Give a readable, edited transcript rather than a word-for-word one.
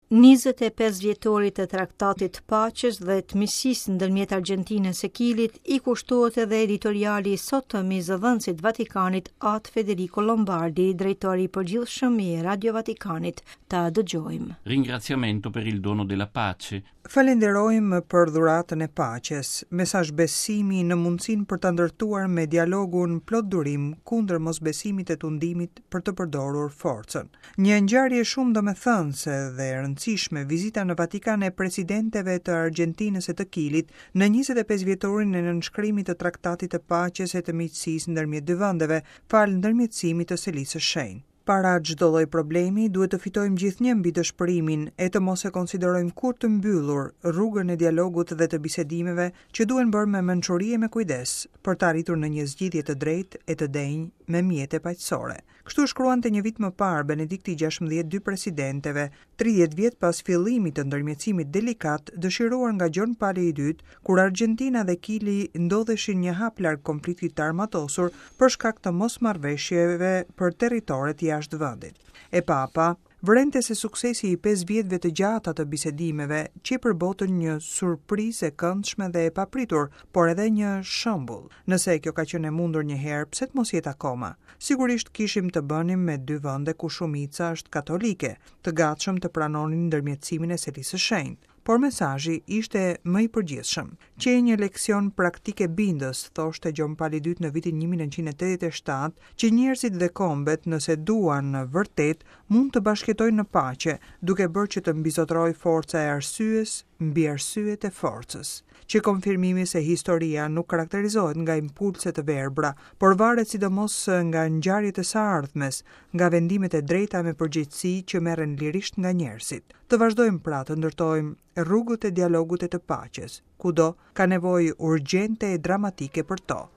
25 vjetorit të Traktatit të Paqes dhe të Miqësisë ndërmjet Argjentinës e Kilit i kushtohet edhe editoriali i sotëm i zëdhënësit të Vatikanit At Federico Lombardi, drejtor i përgjithshëm i Radio Vatikanit. Ta dëgjojmë. Ringraziamento per il dono della pace. Falenderojmë për dhuratën e paqes, mesazh besimi në mundësinë për ta ndërtuar me dialogun plot durim kundër mosbesimit e tundimit për të përdorur forcën. Një ngjarje shumë domethënëse dhe e rëndësishme vizita në Vatikan e presidenteve të Argjentinës e të Kilit në 25 vjetorin e nënshkrimit të Traktatit të Paqes e të Miqësisë ndërmjet dy vendeve, falë ndërmjetësimit të Selisë së Shenjtë. Para çdo lloj problemi, duhet të fitojmë gjithnjë mbi dëshpërimin e të mos e konsiderojmë kurrë të mbyllur rrugën e dialogut dhe të bisedimeve që duhen bërë me mençuri e me kujdes, për të arritur në një zgjidhje të drejtë e të denjë me mjete paqësore. Kështu shkruante një vit më parë Benedikti 16 dy presidenteve, 30 vjet pas fillimit të ndërmjetësimit delikat dëshiruar nga Gjon Pali i Dytë, kur Argjentina dhe Kili ndodheshin një hap larg konfliktit të armatosur për shkak të mosmarrëveshjeve për territoret jashtë vendit. E Papa vërente se suksesi i 5 vjetëve të gjata të bisedimeve qe për botën një surprizë e këndshme dhe e papritur, por edhe një shembull. Nëse kjo ka qenë e mundur një herë, pse të mos jetë akoma? Sigurisht kishim të bënim me dy vende ku shumica është katolike, të gatshëm të pranonin ndërmjetësimin e Selisë së Shenjtë. Por mesazhi ishte më i përgjithshëm. Qe një leksion praktik e bindës, thoshte Gjon Pali II në vitin 1987, që njerëzit dhe kombet, nëse duan vërtet, mund të bashkëjetojnë në paqe, duke bërë që të mbizotërojë forca e arsyes mbi arsyet e forcës. Qe konfirmimi se historia nuk karakterizohet nga impulse të verbra, por varet sidomos nga ngjarjet e së ardhmes, nga vendimet e drejta me përgjegjësi që merren lirisht nga njerëzit. Të vazhdojmë pra të ndërtojmë rrugët e dialogut e të paqes, kudo ka nevojë urgjente e dramatike për to.